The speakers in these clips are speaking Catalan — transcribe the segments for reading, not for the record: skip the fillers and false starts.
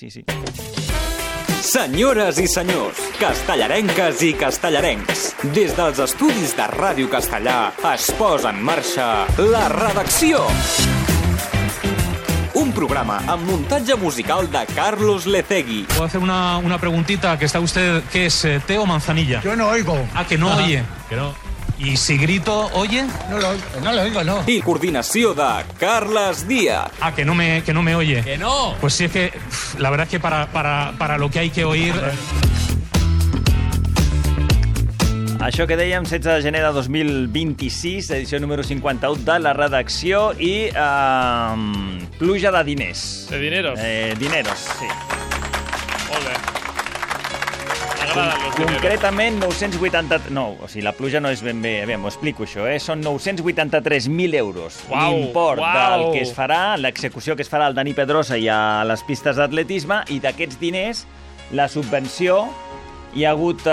Sí. Senyores i senyors, castellarenques i castellarencs, des dels estudis de Ràdio Castellà es posa en marxa La Redacció. Un programa amb muntatge musical de Carlos Lecegui. Puedo hacer una preguntita, que está usted, ¿qué es, té o manzanilla? Yo no oigo. Ah, que no oye. Que no. ¿Y si grito, oye? No lo oigo, no. I coordinació de Carles Díaz. Ah, que no me oye. ¡Que no! Pues sí, es que la verdad es que para lo que hay que oír... Això que dèiem, 16 de gener de 2026, edició número 51 de La Redacció i pluja de diners. De dineros. Dineros, sí. Molt bé. M'agraden los dineros. Concretament, 980... No, o sigui, la pluja no és ben bé... Bé, m'ho explico, això, Són 983.000 euros. Uau, L'import uau. del que es farà, l'execució que es farà al Dani Pedrosa i a les pistes d'atletisme, i d'aquests diners, la subvenció... Hi ha hagut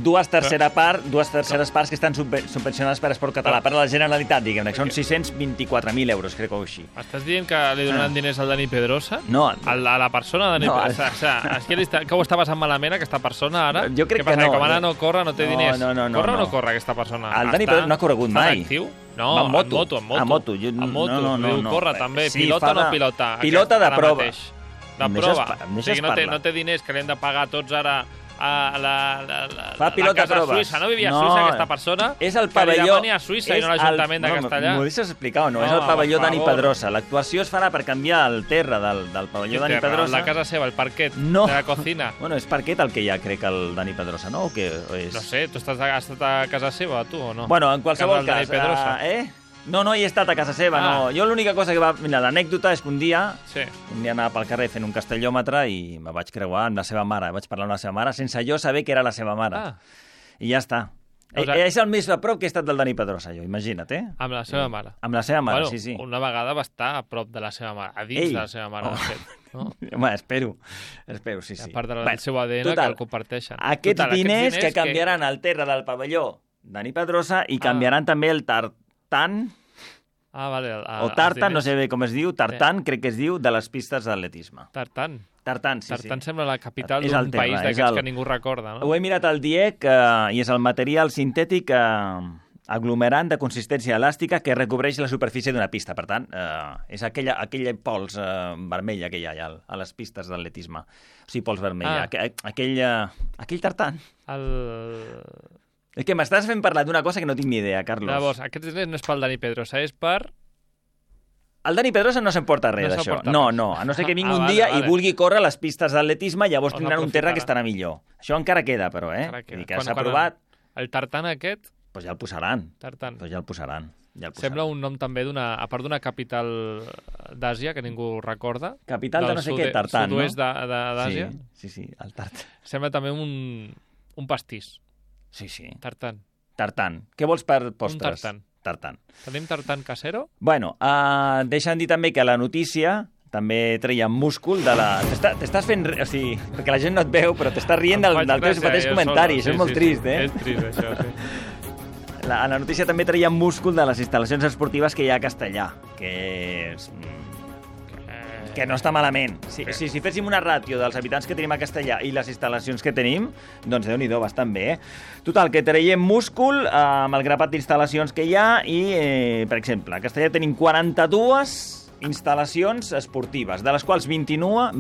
dues terceres parts que estan subvencionades per Esport Català, per la Generalitat, diguem-ne, que són 624.000 euros, crec que així. Estàs dient que li donaran diners al Dani Pedrosa? No. A la persona Dani Pedrosa? O sigui, que ho està passant malament aquesta persona ara? Jo crec que no. no. Com ara no corre, no té diners. No. Corre o no corre aquesta persona? El Dani Pedrosa no ha corregut mai. Està actiu? No, Va amb moto. en moto. En moto. No. Corre també. Sí, Pilota o no pilota? Pilota de prova. De prova. O sigui, no té diners que li hem de pagar tots ara a Fa pilota casa proves. Suïssa. No vivia a Suïssa aquesta persona? És el pavelló... pavelló... Que li demani a Suïssa i no a l'Ajuntament de Castellà. M'ho deixes explicar o no? És el pavelló Dani Pedrosa. L'actuació es farà per canviar el terra del pavelló Dani Pedrosa. La casa seva, el parquet de la cocina. Bueno, és parquet el que hi ha, crec, el Dani Pedrosa, no? O què és? No sé, tu has estat a casa seva, tu, o no? Bueno, en qualsevol cas... No hi he estat a casa seva, no. Jo l'única cosa que va... Mira, l'anècdota és que un dia anava pel carrer fent un castellòmetre i me vaig creuar amb la seva mare. Vaig parlar amb la seva mare sense jo saber que era la seva mare. I ja està. És el més a prop que he estat del Dani Pedrosa, jo, imagina't, Amb la seva mare. Amb la seva mare, sí. Una vegada va estar a prop de la seva mare, a dins de la seva mare, de fet. Home, espero, sí. A part del seu ADN que el comparteixen. Aquests diners que canviaran el terra del pavelló Dani Pedrosa i canviaran també el tartan... o tartan, no sé bé com es diu, tartan, crec que es diu, de les pistes d'atletisme. Tartan, sí. Tartan sembla la capital d'un país d'aquests que ningú recorda, no? Ho he mirat al DIEC i és el material sintètic aglomerant de consistència elàstica que recobreix la superfície d'una pista. Per tant, és aquella pols vermella que hi ha a les pistes d'atletisme. O sigui, pols vermella. Aquell tartan. És que m'estàs fent parlar d'una cosa que no tinc ni idea, Carlos. Llavors, aquest diners no és pel Dani Pedrosa, és per... El Dani Pedrosa no s'emporta res d'això. No, a no ser que vingui un dia i vulgui córrer a les pistes d'atletisme, llavors tindran un terra que estarà millor. Això encara queda, però, Vull dir que s'ha aprovat... El tartan aquest... Doncs ja el posaran. Tartan. Doncs ja el posaran. Sembla un nom també a part d'una capital d'Àsia, que ningú recorda. Capital de no sé què, Tartan, no? Sud-oest d'Àsia. Sí, el Tartan. Sembla també un pastís. Sí. Tartan. Què vols per postres? Tartan. Tenim tartan casero? Bueno, deixa'm dir també que la notícia també treia múscul de la... T'estàs fent... O sigui, perquè la gent no et veu, però t'estàs rient del teu mateix comentari. Això és molt trist, És trist, això, sí. La notícia també treia múscul de les instal·lacions esportives que hi ha a Castellà, que no està malament. Si féssim una ràtio dels habitants que tenim a Castellà i les instal·lacions que tenim, doncs Déu-n'hi-do, bastant bé, Total, que traiem múscul amb el grapat d'instal·lacions que hi ha i, per exemple, a Castellà tenim 42 instal·lacions esportives, de les quals 29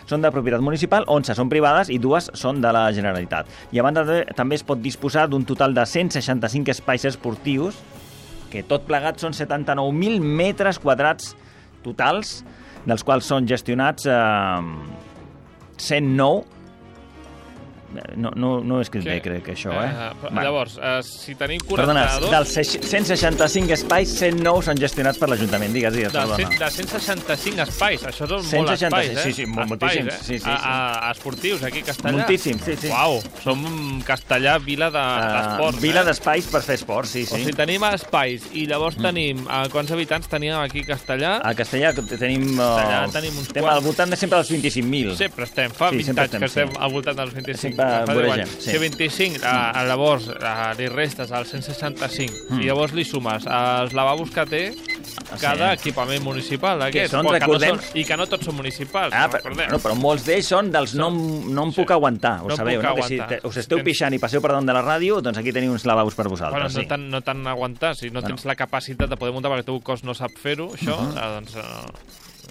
són de propietat municipal, 11 són privades i 2 són de la Generalitat. I a banda també es pot disposar d'un total de 165 espais esportius, que tot plegat són 79.000 metres quadrats totals, dels quals són gestionats 109. No he escrit bé, crec, això, Llavors, si tenim 42... Perdona, dels 165 espais, 109 són gestionats per l'Ajuntament, digues, perdona. De 165 espais, això són molts espais, Sí, moltíssims. Esportius, aquí a Castellà. Moltíssims, sí. Uau, som Castellà, vila d'esports. Vila d'espais per fer esports, sí. O sigui, tenim espais i llavors tenim... Quants habitants teníem aquí a Castellà? A Castellà tenim... Estem al voltant de sempre dels 25.000. Sempre estem, fa 20 anys que estem al voltant dels 25. Si 25, llavors li restes al 165 i llavors li sumes els lavabos que té cada equipament municipal. I que no tots són municipals. Però molts d'ells són dels no em puc aguantar, ho sabeu, no? Que si us esteu pixant i passeu per damunt de la ràdio, doncs aquí teniu uns lavabos per vosaltres. No tant aguantar, si no tens la capacitat de poder muntar perquè el teu cos no sap fer-ho, això, doncs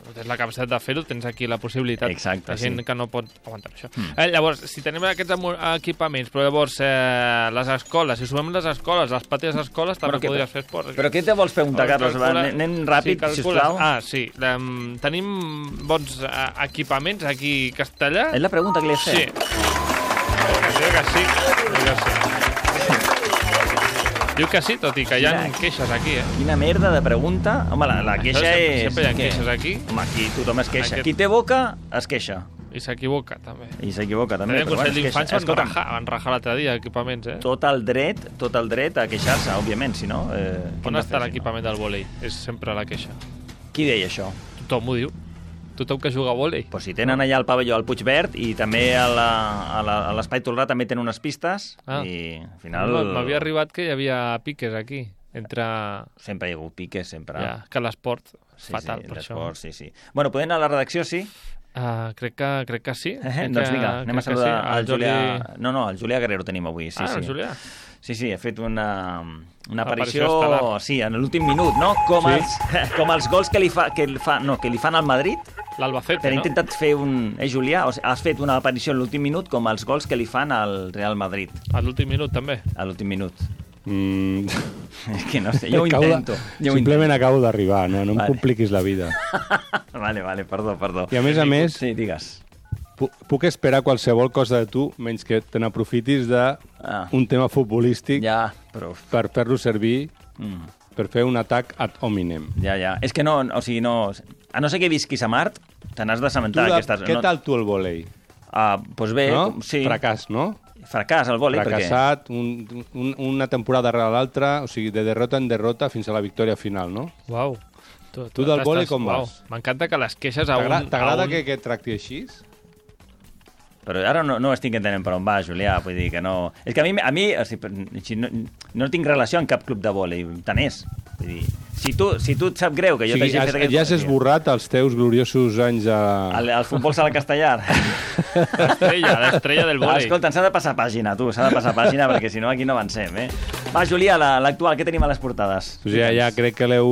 tens la capacitat de fer-ho, tens aquí la possibilitat. Exacte, la gent que no pot aguantar això. Llavors, si tenim aquests equipaments, però llavors les escoles, si sumem les escoles, les pàties escoles, també podries fer esport. Però què te vols preguntar, Carlos? Anem ràpid, sisplau. Sí. Tenim bons equipaments aquí a Castellà? És la pregunta que li he fet. Sí. Diu que sí. Diu que sí, tot i que hi ha queixes aquí, Quina merda de pregunta. Home, la queixa és... Sempre hi ha queixes aquí. Home, aquí tothom es queixa. Qui té boca, es queixa. I s'equivoca, també. També. El Consell d'Infància van rajar l'altre dia equipaments, Tot el dret a queixar-se, òbviament, si no... On està l'equipament del vòlei? És sempre la queixa. Qui deia això? Tothom ho diu. Tothom que juga a vòlei. Pues si tenen allà el pavelló al Puigverd i també a l'Espai Tolrà també tenen unes pistes i al final... M'havia arribat que hi havia piques aquí. Sempre hi ha hagut piques, sempre. Ja, que l'esport és fatal per això. Sí. Bueno, podem anar a la redacció, sí? Crec que sí. Doncs vinga, anem a saludar al Julià... No, el Julià Guerrero tenim avui. El Julià. Sí, ha fet una aparició en l'últim minut, no? Com els gols que li fan al Madrid. L'Albacete, no? Intentat fer Julià, has fet una aparició en l'últim minut com els gols que li fan al Real Madrid. A l'últim minut, també? A l'últim minut. És que no sé, jo ho intento. Simplement acabo d'arribar, no em compliquis la vida. Vale, perdó. I a més... Sí, digues. Puc esperar qualsevol cosa de tu, menys que te n'aprofitis d'un tema futbolístic per fer-lo servir per fer un atac ad hominem. Ja. És que no, o sigui, no... A no ser que visquis a Mart, te n'has d'assabentar d'aquestes... Què tal tu el vòlei? Doncs bé, sí. Fracàs, no? Fracàs, el vòlei, per què? Fracassat, una temporada darrere l'altra, o sigui, de derrota en derrota fins a la victòria final, no? Uau. Tu del vòlei com vas? M'encanta que les queixes a un... T'agrada que et tracti així? Però ara no estic entenent per on va, Julià, vull dir que no... És que a mi no tinc relació amb cap club de vòlei, tant és. Vull dir, si tu et sap greu que jo t'hagi fet aquest... Ja has esborrat els teus gloriosos anys a... El futbol sala castellar. L'estrella del vòlei. Escolta, s'ha de passar pàgina, perquè si no aquí no avancem, Va, Julià, l'actual, què tenim a les portades? Ja crec que l'heu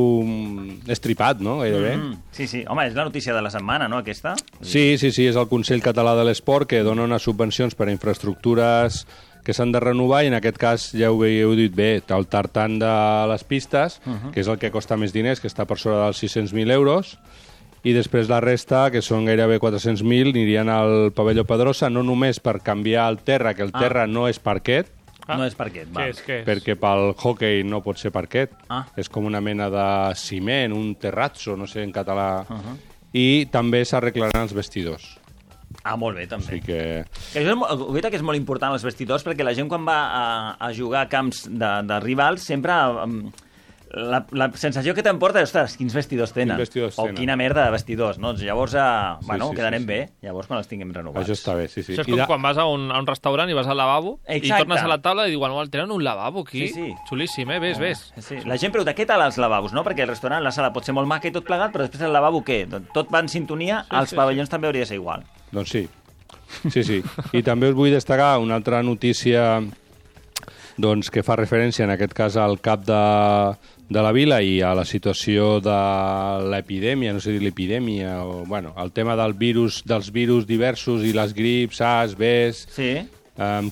estripat, no? Gairebé. Sí. Home, és la notícia de la setmana, no, aquesta? Sí, és el Consell Català de l'Esport que dona unes subvencions per a infraestructures que s'han de renovar i en aquest cas ja ho heu dit bé, el tartan de les pistes, que és el que costa més diners, que està per sobre dels 600.000 euros, i després la resta, que són gairebé 400.000, anirien al pavelló Pedrosa, no només per canviar el terra, que el terra no és parquet, no és parquet, va. Què és? Perquè pel hockey no pot ser parquet, és com una mena de ciment, un terrazzo, no sé en català, i també s'arreglaran els vestidors. Molt bé, també. O sigui que... Guaita que és molt important els vestidors, perquè la gent quan va a jugar a camps de rivals sempre... La sensació que t'emporta és, ostres, quins vestidors tenen. Quina merda de vestidors, no? Llavors, quedarem bé, llavors quan els tinguem renovats. Això està bé, sí. Això és com quan vas a un restaurant i vas al lavabo i tornes a la taula i diuen, tenen un lavabo aquí? Sí. Xulíssim, ves. Sí. La gent pregunta, què tal els lavabos, no? Perquè el restaurant, la sala pot ser molt maca i tot plegat, però després el lavabo què? Tot va en sintonia, als pavellons també hauria de ser igual. Doncs sí. I també us vull destacar una altra notícia que fa referència, en aquest cas, al cap de la vila i a la situació de l'epidèmia, no sé dir l'epidèmia, el tema dels virus diversos i les grips, SARS, BES,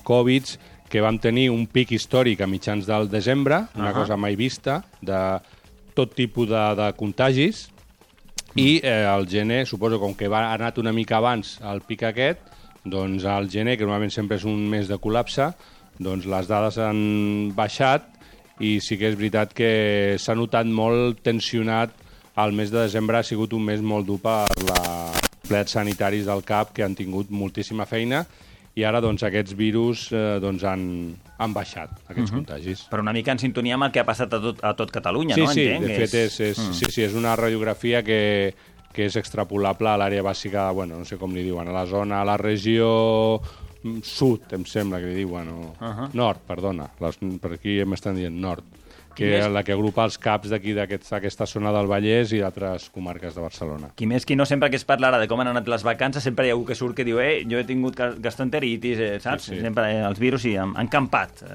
Covid, que vam tenir un pic històric a mitjans del desembre, una cosa mai vista, de tot tipus de contagis, i el gener, suposo, com que ha anat una mica abans el pic aquest, doncs al gener, que normalment sempre és un mes de col·lapse, doncs les dades han baixat i sí que és veritat que s'ha notat molt tensionat. El mes de desembre ha sigut un mes molt dur per els plets sanitaris del CAP, que han tingut moltíssima feina, i ara doncs, aquests virus han baixat, aquests contagis. Però una mica en sintonia amb el que ha passat a tot Catalunya, no? Sí, de fet és una radiografia que és extrapolable a l'àrea bàsica, no sé com li diuen, a la regió sud, em sembla que li diuen, nord, perdona, per aquí m'estan dient nord. que és la que agrupa els caps d'aquí, d'aquesta zona del Vallès i d'altres comarques de Barcelona. Qui més qui no, sempre que es parla de com han anat les vacances, sempre hi ha algú que surt que diu jo he tingut gastroenteritis, saps? Sí. Sempre els virus han campat,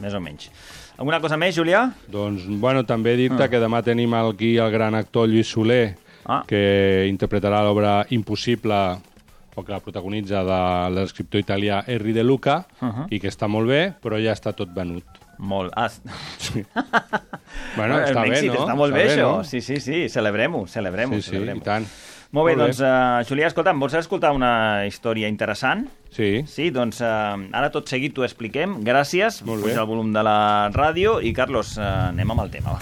més o menys. Alguna cosa més, Julià? Doncs, bueno, també dir-te que demà tenim aquí el gran actor Lluís Soler, que interpretarà l'obra Impossible, o que la protagonitza de l'escriptor italià Henri De Luca, i que està molt bé, però ja està tot venut. Molt. Sí. Bueno, està bé, no? Està molt bé, això. No? Sí, celebrem-ho. Sí, i tant. Molt bé, doncs, Julià, escolta'm, vols escoltar una història interessant? Sí. Sí, doncs ara tot seguit t'ho expliquem. Gràcies. Molt bé. Puja el volum de la ràdio i, Carlos, anem amb el tema, va.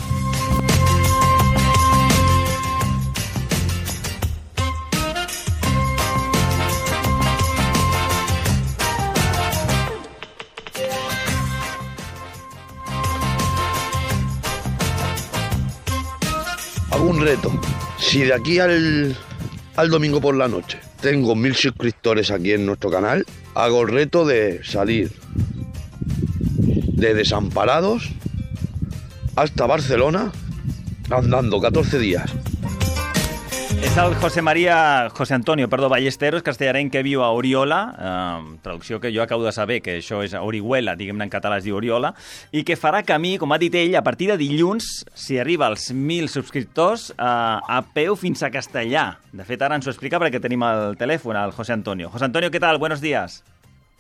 Un reto. Si de aquí al domingo por la noche tengo 1000 suscriptores aquí en nuestro canal, hago el reto de salir de Desamparados hasta Barcelona andando 14 días. És el José Antonio Ballesteros, castellarenc que viu a Oriola, traducció que jo acabo de saber, que això és Orihuela, diguem-ne en català es diu Oriola, i que farà camí, com ha dit ell, a partir de dilluns, si arriba als 1.000 subscriptors, a peu fins a Castellà. De fet, ara ens ho explica perquè tenim el telèfon, el José Antonio. José Antonio, ¿qué tal? Buenos días.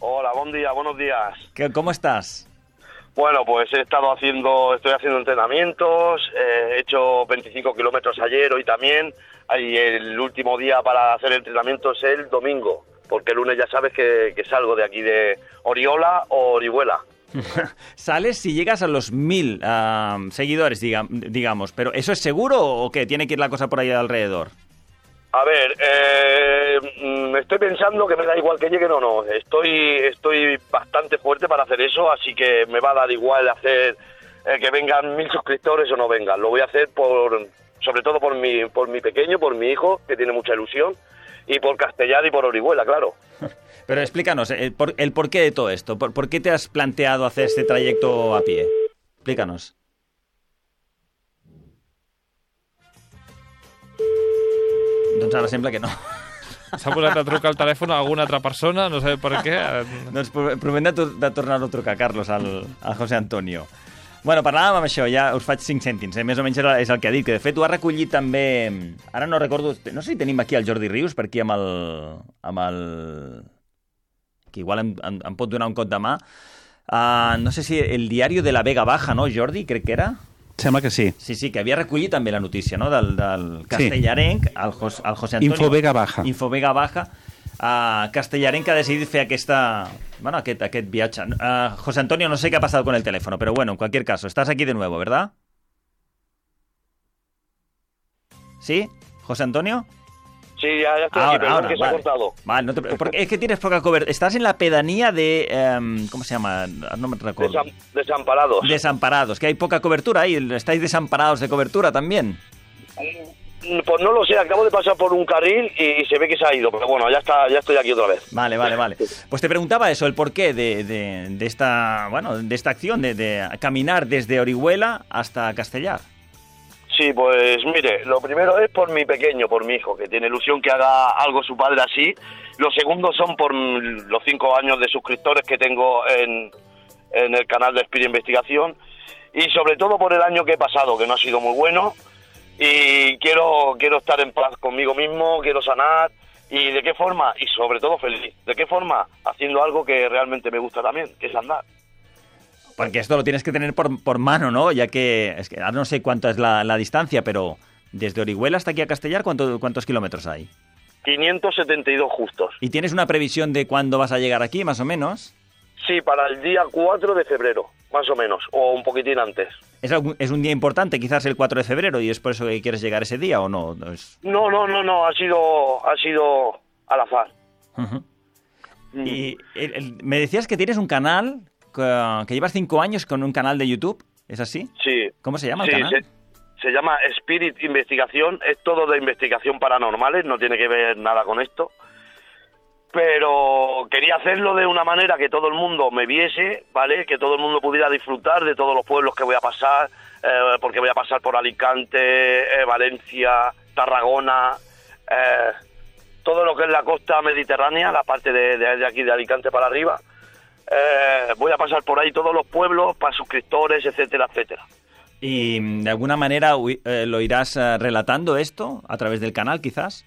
Hola, buen día, buenos días. ¿Cómo estás? Bueno, pues estoy haciendo entrenamientos, he hecho 25 kilómetros ayer, hoy también, y el último día para hacer entrenamiento es el domingo, porque el lunes ya sabes que salgo de aquí de Oriola o Orihuela. Sales si llegas a los 1.000 seguidores, digamos, pero ¿eso es seguro o qué? ¿Tiene que ir la cosa por ahí alrededor? A ver, estoy pensando que me da igual que lleguen o no. Estoy bastante fuerte para hacer eso, así que me va a dar igual hacer que vengan 1000 suscriptores o no vengan. Lo voy a hacer sobre todo por mi pequeño, por mi hijo, que tiene mucha ilusión, y por Castellar y por Orihuela, claro. Pero explícanos, el porqué de todo esto. ¿Por qué te has planteado hacer este trayecto a pie? Explícanos. Doncs ara sembla que no. S'ha posat a trucar al telèfon a alguna altra persona, no sé per què. Doncs provem de tornar-ho a trucar, Carlos, al José Antonio. Bueno, parlàvem amb això, ja us faig 5 cèntims, més o menys és el que ha dit, que de fet ho ha recollit també... Ara no recordo, no sé si tenim aquí el Jordi Rius, per aquí amb el... que igual em pot donar un cop de mà. No sé si el diari de la Vega Baja, no, Jordi? Crec que era... Sembla que sí. Sí, que havia recollit també la notícia, no?, del castellarenc, el José Antonio... Infovega Baja. Infovega Baja, castellarenc que ha decidit fer aquest viatge. José Antonio, no sé qué ha pasado con el teléfono, pero bueno, en cualquier caso, estás aquí de nuevo, ¿verdad? ¿Sí? ¿José Antonio? Sí, ya estoy aquí, perdón que se ha cortado. Vale, porque es que tienes poca cobertura. Estás en la pedanía de... ¿cómo se llama? No me recuerdo. Desamparados. Desamparados, que hay poca cobertura ahí. ¿Estáis desamparados de cobertura también? Pues no lo sé, acabo de pasar por un carril y se ve que se ha ido, pero bueno, ya estoy aquí otra vez. Vale. Pues te preguntaba eso, el porqué de esta acción, de caminar desde Orihuela hasta Castellar. Sí, pues mire, lo primero es por mi pequeño, por mi hijo, que tiene ilusión que haga algo su padre así. Lo segundo son por los 5 años de suscriptores que tengo en el canal de Spirit Investigación, y sobre todo por el año que he pasado, que no ha sido muy bueno, y quiero estar en paz conmigo mismo, quiero sanar. ¿Y de qué forma? Y sobre todo feliz. ¿De qué forma? Haciendo algo que realmente me gusta también, que es andar. Porque esto lo tienes que tener por mano, ¿no? Ya que, es que ahora no sé cuánto es la distancia, pero desde Orihuela hasta aquí a Castellar, ¿cuántos kilómetros hay? 572 justos. ¿Y tienes una previsión de cuándo vas a llegar aquí, más o menos? Sí, para el día 4 de febrero, más o menos, o un poquitín antes. ¿Es un día importante, quizás el 4 de febrero, y es por eso que quieres llegar ese día, o no? No, ha sido al azar. Uh-huh. Y me decías que tienes un canal... que llevas 5 años con un canal de YouTube, ¿es así? Sí. ¿Cómo se llama el canal? Se llama Spirit Investigación, es todo de investigación paranormales, no tiene que ver nada con esto, pero quería hacerlo de una manera que todo el mundo me viese, ¿vale? Que todo el mundo pudiera disfrutar de todos los pueblos que voy a pasar, porque voy a pasar por Alicante, Valencia, Tarragona, todo lo que es la costa mediterránea, la parte de aquí de Alicante para arriba. Voy a pasar por ahí todos los pueblos para suscriptores, etcétera, etcétera. ¿Y de alguna manera lo irás relatando esto a través del canal, quizás?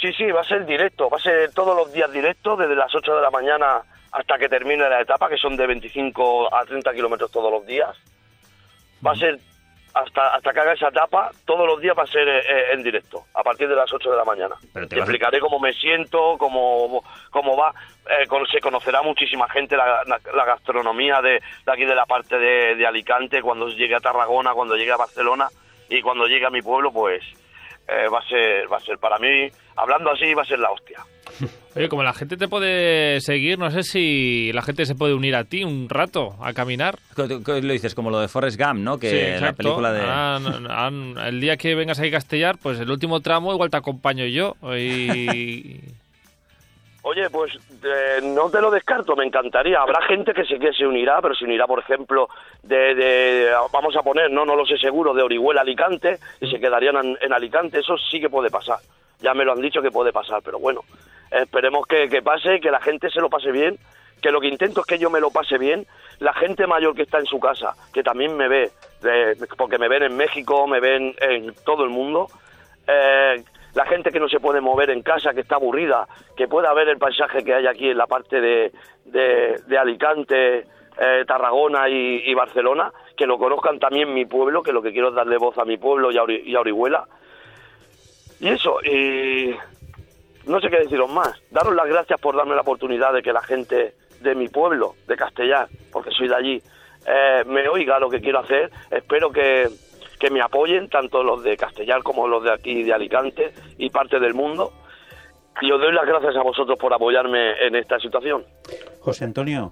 Sí, va a ser directo, va a ser todos los días directo, desde las 8 de la mañana hasta que termine la etapa, que son de 25 a 30 kilómetros todos los días. Va a ser hasta que haga esa etapa, todos los días va a ser en directo, a partir de las 8 de la mañana. Te explicaré cómo me siento, cómo va. Se conocerá muchísima gente la gastronomía de aquí de la parte de Alicante, cuando llegue a Tarragona, cuando llegue a Barcelona y cuando llegue a mi pueblo, pues va a ser para mí, hablando así, va a ser la hostia. Oye, como la gente te puede seguir, no sé si la gente se puede unir a ti un rato a caminar. ¿Qué lo dices? Como lo de Forrest Gump, ¿no? Que sí, exacto. La película de... el día que vengas ahí a Castellar, pues el último tramo igual te acompaño yo. Oye, pues no te lo descarto, me encantaría. Habrá gente que se unirá, pero se unirá, por ejemplo, vamos a poner, no lo sé seguro, de Orihuela a Alicante, y se quedarían en Alicante. Eso sí que puede pasar. Ya me lo han dicho que puede pasar, pero bueno, esperemos que pase, que la gente se lo pase bien, que lo que intento es que yo me lo pase bien. La gente mayor que está en su casa, que también me ve, porque me ven en México, me ven en todo el mundo, la gente que no se puede mover en casa, que está aburrida, que pueda ver el paisaje que hay aquí en la parte de Alicante, Tarragona y Barcelona, que lo conozcan también mi pueblo, que lo que quiero es darle voz a mi pueblo y a Orihuela. Y eso, y no sé qué deciros más. Daros las gracias por darme la oportunidad de que la gente de mi pueblo, de Castellar, porque soy de allí, me oiga lo que quiero hacer. Espero que me apoyen, tanto los de Castellar como los de aquí de Alicante y parte del mundo. Y os doy las gracias a vosotros por apoyarme en esta situación. José Antonio,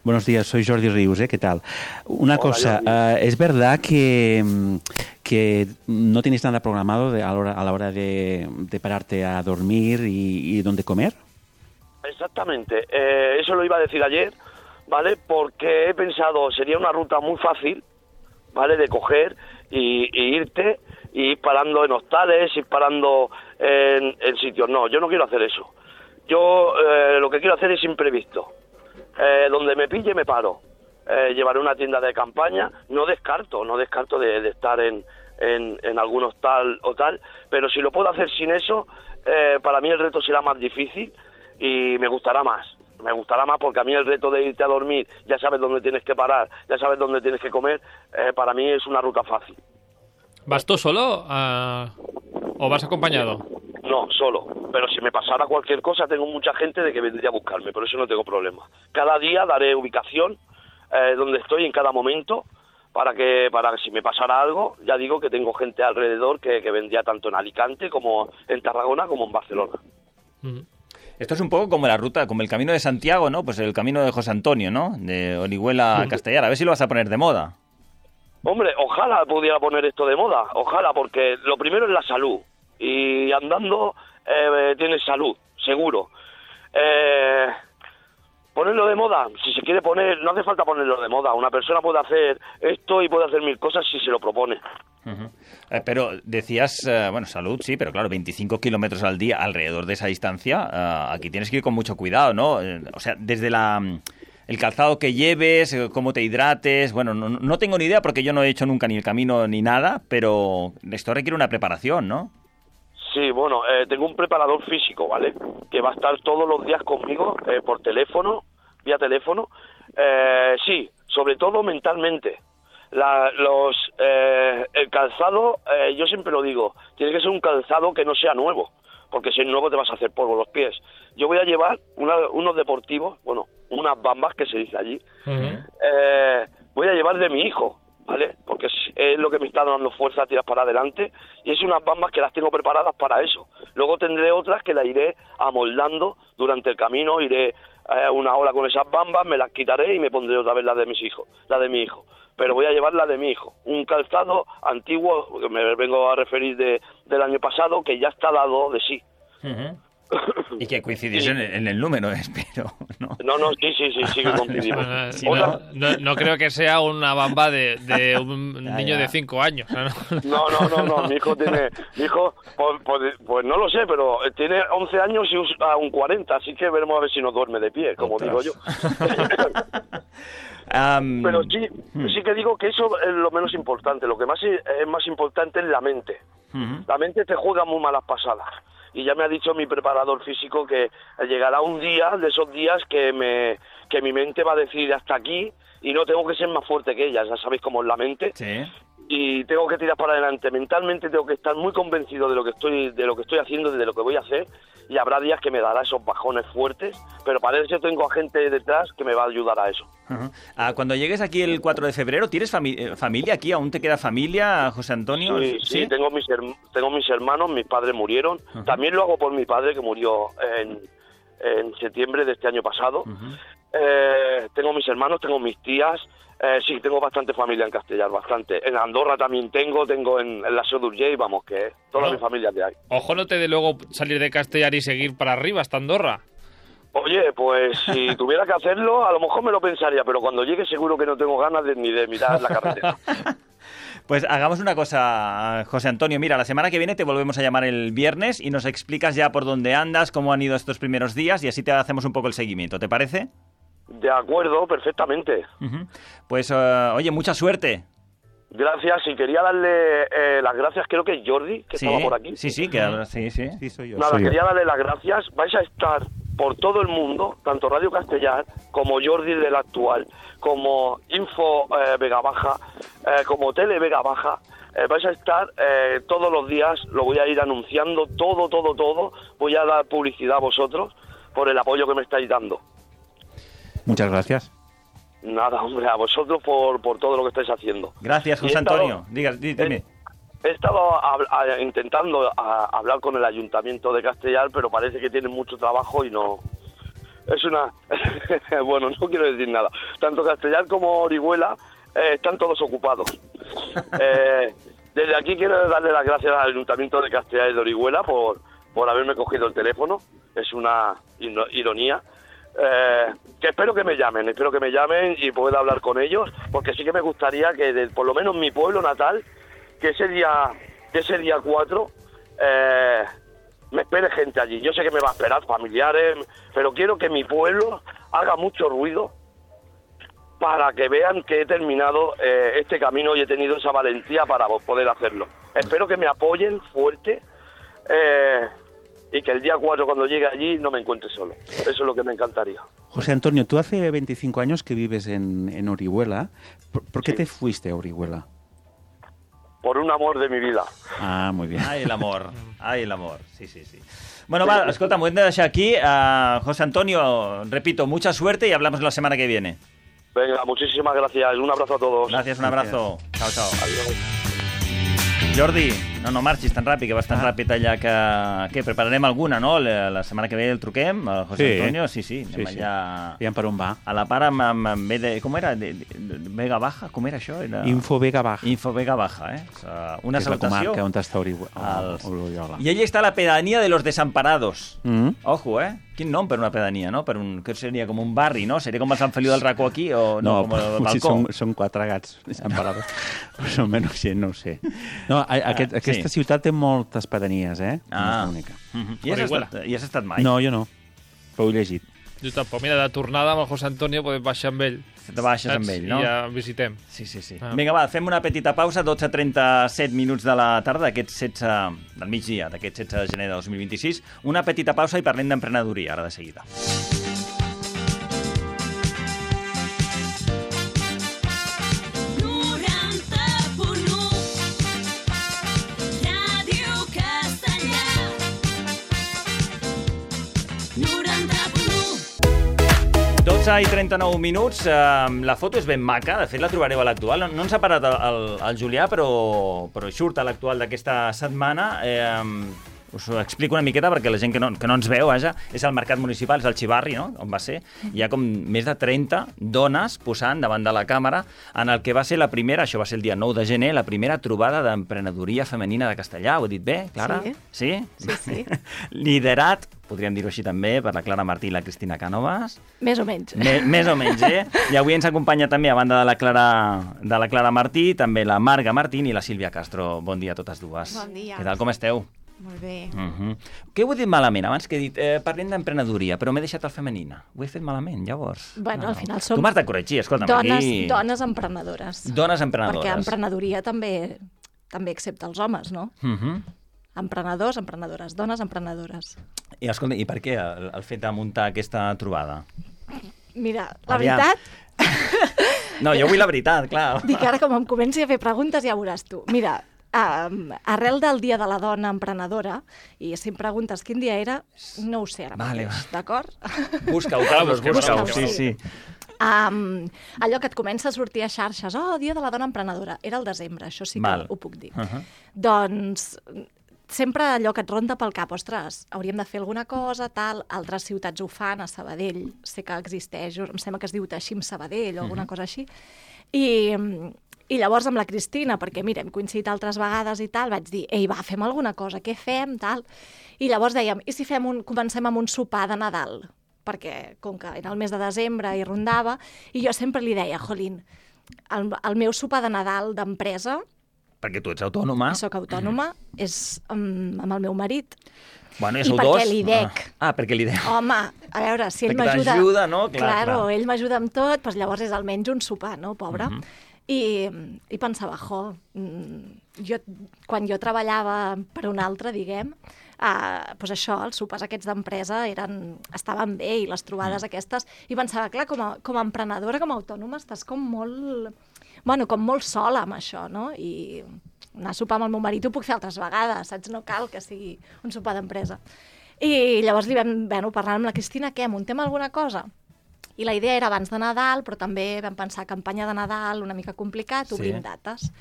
buenos días, soy Jordi Rius, ¿qué tal? Una cosa, ¿es verdad que no tienes nada programado a la hora de pararte a dormir y dónde comer? Exactamente, eso lo iba a decir ayer, ¿vale? Porque he pensado, sería una ruta muy fácil, ¿vale? De coger y irte y ir parando en hostales, ir parando en sitios. No, yo no quiero hacer eso. Yo lo que quiero hacer es imprevisto. Donde me pille me paro. Llevaré una tienda de campaña. No descarto de estar en algún hostal o tal, pero si lo puedo hacer sin eso, para mí el reto será más difícil y me gustará más. Me gustará más porque a mí el reto de irte a dormir, ya sabes dónde tienes que parar, ya sabes dónde tienes que comer, para mí es una ruta fácil. ¿Vas tú solo o vas acompañado? No, solo. Pero si me pasara cualquier cosa, tengo mucha gente de que vendría a buscarme, por eso no tengo problema. Cada día daré ubicación donde estoy en cada momento, para que si me pasara algo, ya digo que tengo gente alrededor que vendría tanto en Alicante como en Tarragona como en Barcelona. Uh-huh. Esto es un poco como la ruta, como el Camino de Santiago, ¿no? Pues el camino de José Antonio, ¿no? De Orihuela a Castellar. A ver si lo vas a poner de moda. Hombre, ojalá pudiera poner esto de moda. Ojalá, porque lo primero es la salud. Y andando tienes salud, seguro. Ponerlo de moda, si se quiere poner, no hace falta ponerlo de moda. Una persona puede hacer esto y puede hacer 1000 cosas si se lo propone. Uh-huh. Pero decías, salud, sí, pero claro, 25 kilómetros al día alrededor de esa distancia, aquí tienes que ir con mucho cuidado, ¿no? O sea, desde el calzado que lleves, cómo te hidrates, bueno, no tengo ni idea porque yo no he hecho nunca ni el camino ni nada, pero esto requiere una preparación, ¿no? Sí, bueno, tengo un preparador físico, ¿vale? Que va a estar todos los días conmigo por teléfono, vía teléfono. Sí, sobre todo mentalmente. El calzado, yo siempre lo digo, tiene que ser un calzado que no sea nuevo, porque si es nuevo te vas a hacer polvo los pies. Yo voy a llevar unos deportivos, bueno, unas bambas que se dice allí. Uh-huh. Voy a llevar de mi hijo, ¿vale? Porque es lo que me está dando fuerza a tirar para adelante, y es unas bambas que las tengo preparadas para eso. Luego tendré otras que las iré amoldando durante el camino, iré una hora con esas bambas, me las quitaré y me pondré otra vez la de mi hijo. Pero voy a llevar la de mi hijo, un calzado antiguo, que me vengo a referir del año pasado, que ya está dado de sí. Uh-huh. Y que coincidís en el número, espero, ¿no? No, sí que coincidimos. Si no creo que sea una bamba de un niño de 5 años. No, mi hijo tiene... pues no lo sé, pero tiene 11 años y un 40, así que veremos a ver si nos duerme de pie, como digo yo. Pero sí que digo que eso es lo menos importante. Lo que más es más importante es la mente. La mente te juega muy malas pasadas. Y ya me ha dicho mi preparador físico que llegará un día de esos días que mi mente va a decir hasta aquí y no tengo que ser más fuerte que ella. Ya sabéis cómo es la mente. Sí. Y tengo que tirar para adelante. Mentalmente tengo que estar muy convencido de lo que estoy haciendo, de lo que voy a hacer. Y habrá días que me dará esos bajones fuertes, pero para eso tengo a gente detrás que me va a ayudar a eso. Cuando llegues aquí el 4 de febrero, ¿tienes familia aquí? ¿Aún te queda familia, José Antonio? Sí, tengo mis hermanos, mis padres murieron. También lo hago por mi padre, que murió en septiembre de este año pasado. Tengo mis hermanos, tengo mis tías. Sí, tengo bastante familia en Castellar, bastante. En Andorra también tengo en la Seu d'Urgell, vamos, que toda mi familia que hay. Ojo, no te dé luego salir de Castellar y seguir para arriba hasta Andorra. Oye, pues si tuviera que hacerlo, a lo mejor me lo pensaría, pero cuando llegue seguro que no tengo ganas ni de mirar la carretera. Pues hagamos una cosa, José Antonio. Mira, la semana que viene te volvemos a llamar el viernes y nos explicas ya por dónde andas, cómo han ido estos primeros días y así te hacemos un poco el seguimiento. ¿Te parece? De acuerdo, perfectamente. Pues, oye, mucha suerte. Gracias, y quería darle las gracias, creo que es Jordi, que estaba por aquí. Sí, Sí, soy yo. Nada, quería darle las gracias. Vais a estar por todo el mundo, tanto Radio Castellar, como Jordi del Actual, como Info Vega Baja, como Tele Vega Baja. Vais a estar todos los días, lo voy a ir anunciando, todo. Voy a dar publicidad a vosotros por el apoyo que me estáis dando. Muchas gracias. Nada, hombre, a vosotros por todo lo que estáis haciendo. Gracias, José Antonio. Dime. He estado intentando hablar con el Ayuntamiento de Castellar, pero parece que tienen mucho trabajo y no... Es una... bueno, no quiero decir nada. Tanto Castellar como Orihuela están todos ocupados. Desde aquí quiero darle las gracias al Ayuntamiento de Castellar y de Orihuela por haberme cogido el teléfono. Es una ironía. Que espero que me llamen y pueda hablar con ellos, porque sí que me gustaría que por lo menos mi pueblo natal, que ese día 4 me espere gente allí. Yo sé que me va a esperar familiares, pero quiero que mi pueblo haga mucho ruido para que vean que he terminado este camino y he tenido esa valentía para poder hacerlo. Espero que me apoyen fuerte y que el día 4 cuando llegue allí no me encuentre solo. Eso es lo que me encantaría. José Antonio, tú hace 25 años que vives en Orihuela. ¿Por qué te fuiste a Orihuela? Por un amor de mi vida. Ah, muy bien. Ai, l'amor. Sí. Bueno, va, escolta, m'ho hem de deixar aquí. José Antonio, repito, mucha suerte y hablamos la semana que viene. Venga, muchísimas gracias. Un abrazo a todos. Gracias, un abrazo. Chao. Adiós. Jordi, no marxis tan ràpid, que vas tan ràpid allà que prepararem alguna, no? La setmana que ve el truquem, el José Antonio, sí. Anem allà... Aviam per on va. A la part amb com era? Vega Baja? Com era això? Info Vega Baja. Info Vega Baja, una salutació. És la comarca on està Oriola. I allí està la pedanía de los desamparados. Ojo, Quin nom per una pedania, no? Que seria com un barri, no? Seria com el Sant Feliu del Racó aquí o no? Com el balcó? Són 4 gats desamparados. Més o menys, no ho sé. No, aquesta ciutat té moltes pedanies, No és l'única. I has estat mai? No, jo no. Però ho he llegit. Jo tampoc. Mira, de tornada amb el José Antonio podem baixar amb ell. Te baixes amb ell, no? I ja visitem. Sí. Vinga, va, fem una petita pausa, 12:37 minuts de la tarda, del migdia, d'aquest 16 de gener de 2026. Una petita pausa i parlem d'emprenedoria, ara de seguida. I 39 minuts, la foto és ben maca, de fet la trobareu a l'Actual, no ens ha parat el Julià, però surt a l'Actual d'aquesta setmana, us ho explico una miqueta perquè la gent que no ens veu, vaja, és el mercat municipal, és el Xivarri, no?, on va ser. Hi ha com més de 30 dones posant davant de la càmera en el que va ser la primera, això va ser el dia 9 de gener, la primera trobada d'emprenedoria femenina de Castellà. Ho he dit bé, Clara? Sí. Sí? Sí. Liderat, podríem dir-ho així també, per la Clara Martí i la Cristina Cànovas. Més o menys. Més o menys, I avui ens acompanya també, a banda de la Clara Martí, també la Marga Martín i la Sílvia Castro. Bon dia a totes dues. Bon dia. Què tal, com esteu? Molt bé. Què ho he dit malament? Abans que he dit, parlem d'emprenedoria, però m'he deixat el femenina. Ho he fet malament, llavors. Bueno, al final som... Tu m'has de corregir, escolta'm, aquí... Dones emprenedores. Dones emprenedores. Perquè emprenedoria també accepta els homes, no? Emprenedors, emprenedores, dones emprenedores. I escolta, i per què el fet de muntar aquesta trobada? Mira, la veritat... No, jo vull la veritat, clar. Dic, ara com em comenci a fer preguntes ja veuràs tu. Mira, arrel del Dia de la Dona Emprenedora, i si em preguntes quin dia era, no ho sé ara mateix, d'acord? Busca-ho, Carlos, busca-ho, sí. Allò que et comença a sortir a xarxes, Dia de la Dona Emprenedora, era el desembre, això sí que ho puc dir. Doncs sempre allò que et ronda pel cap, ostres, hauríem de fer alguna cosa, tal, altres ciutats ho fan, a Sabadell sé que existeix, em sembla que es diu Teixim Sabadell o alguna cosa així, i llavors amb la Cristina, perquè mira, hem coincidit altres vegades i tal, vaig dir, ei, va, fem alguna cosa, què fem, tal, i llavors dèiem, i si comencem amb un sopar de Nadal? Perquè, com que era el mes de desembre i rondava, i jo sempre li deia, jolín, el meu sopar de Nadal d'empresa, perquè tu ets autònoma. Soc autònoma, és amb el meu marit. Bueno, I perquè li dec. Perquè li dec. Home, a veure, si ell m'ajuda... Perquè t'ajuda, no? Claro, ell m'ajuda amb tot, doncs llavors és almenys un sopar, no, pobre? I pensava, quan jo treballava per un altre, diguem, doncs això, els sopars aquests d'empresa estaven bé, i les trobades aquestes, i pensava, clar, com a emprenedora, com a autònoma, estàs com molt sola amb això, no? I anar a sopar amb el meu marit ho puc fer altres vegades, saps? No cal que sigui un sopar d'empresa. I llavors li vam parlar amb la Cristina, què, muntem alguna cosa? I la idea era abans de Nadal, però també vam pensar campanya de Nadal, una mica complicat, obrim dates.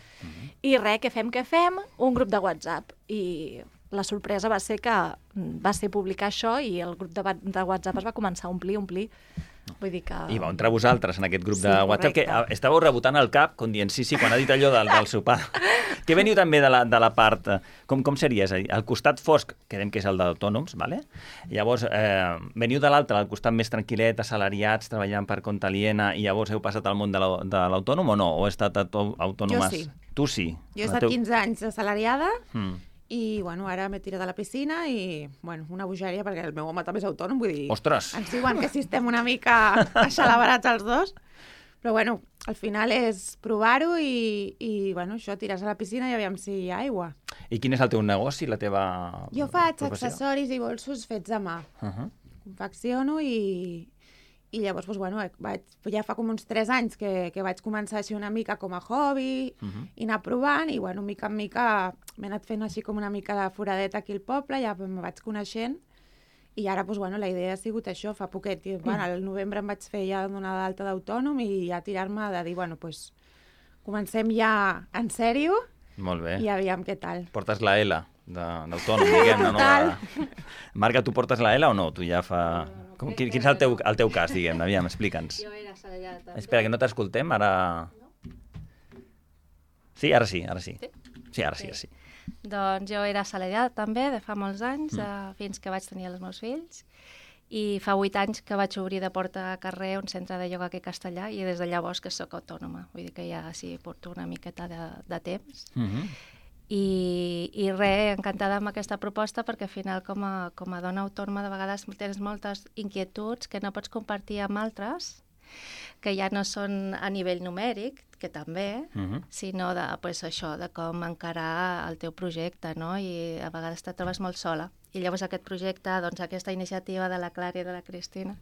I res, què fem? Un grup de WhatsApp. I la sorpresa va ser publicar això i el grup de WhatsApp es va començar a omplir. Vull dir que... I vau entrar vosaltres en aquest grup de WhatsApp, que estàveu rebotant el cap, com dient, sí, quan ha dit allò del sopar. Que veniu també de la part... Com seria? És a dir, el costat fosc, quedem que és el d'autònoms, ¿vale? Llavors, veniu de l'altre, al costat més tranquil·let, assalariats, treballant per compte aliena, i llavors heu passat al món de l'autònom o no? O heu estat autònomes? Jo sí. Tu sí? Jo he estat 15 anys assalariada, i, ara m'he tirat a la piscina i, una bogeria, perquè el meu home també és autònom, vull dir... Ostres! Ens diuen que si estem una mica axelabrats els dos, però, al final és provar-ho i això, tires a la piscina i aviam si hi ha aigua. I quin és el teu negoci, la teva Jo faig professió? accessoris i bolsos fets a mà. Confecciono i llavors, ja fa com uns 3 anys que vaig començar així una mica com a hobby i anar provant i, mica en mica m'he anat fent així com una mica de foradeta aquí al poble, ja me vaig coneixent i ara, la idea ha sigut això, fa poquet. Al novembre em vaig fer ja donar d'alta d'autònom i ja tirar-me de dir, comencem ja en sèrio. Molt bé. I aviam què tal. Portes la L d'autònom, diguem-ne, no? Marga, tu portes la L o no? Tu ja fa... Quin és el teu cas, diguem-ne? Aviam, explica'ns. Jo era assalariada. Espera, que no t'escoltem, ara... Sí, ara sí. Sí, ara sí. Doncs jo era assalariada també, de fa molts anys, fins que vaig tenir els meus fills, i fa 8 anys que vaig obrir de porta a carrer un centre de ioga aquí a Castellà, i des de llavors que sóc autònoma. Vull dir que ja sí porto una miqueta de temps. I res, encantada amb aquesta proposta, perquè al final com a dona autònoma de vegades tens moltes inquietuds que no pots compartir amb altres, que ja no són a nivell numèric, que també, sinó de, això, de com encarar el teu projecte, no? I a vegades te trobes molt sola. I llavors aquest projecte, aquesta iniciativa de la Clara i de la Cristina,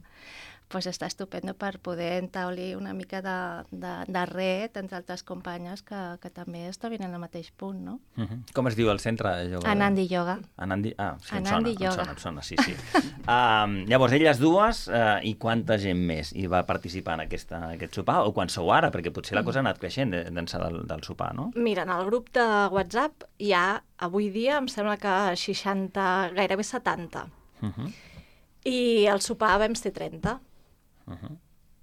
pues està estupendo per poder entablir una mica de red entre altres companyes que també estaven en el mateix punt, no? Com es diu el centre de yoga? Anandi Yoga. Sí, Anandi Yoga. Em sona, sí. Llavors, elles dues i quanta gent més hi va participar en aquest sopar? O quan sou ara? Perquè potser la cosa ha anat creixent d'ençà del sopar, no? Mira, en el grup de WhatsApp hi ha, avui dia, em sembla que 60, gairebé 70. I al sopar vam ser 30.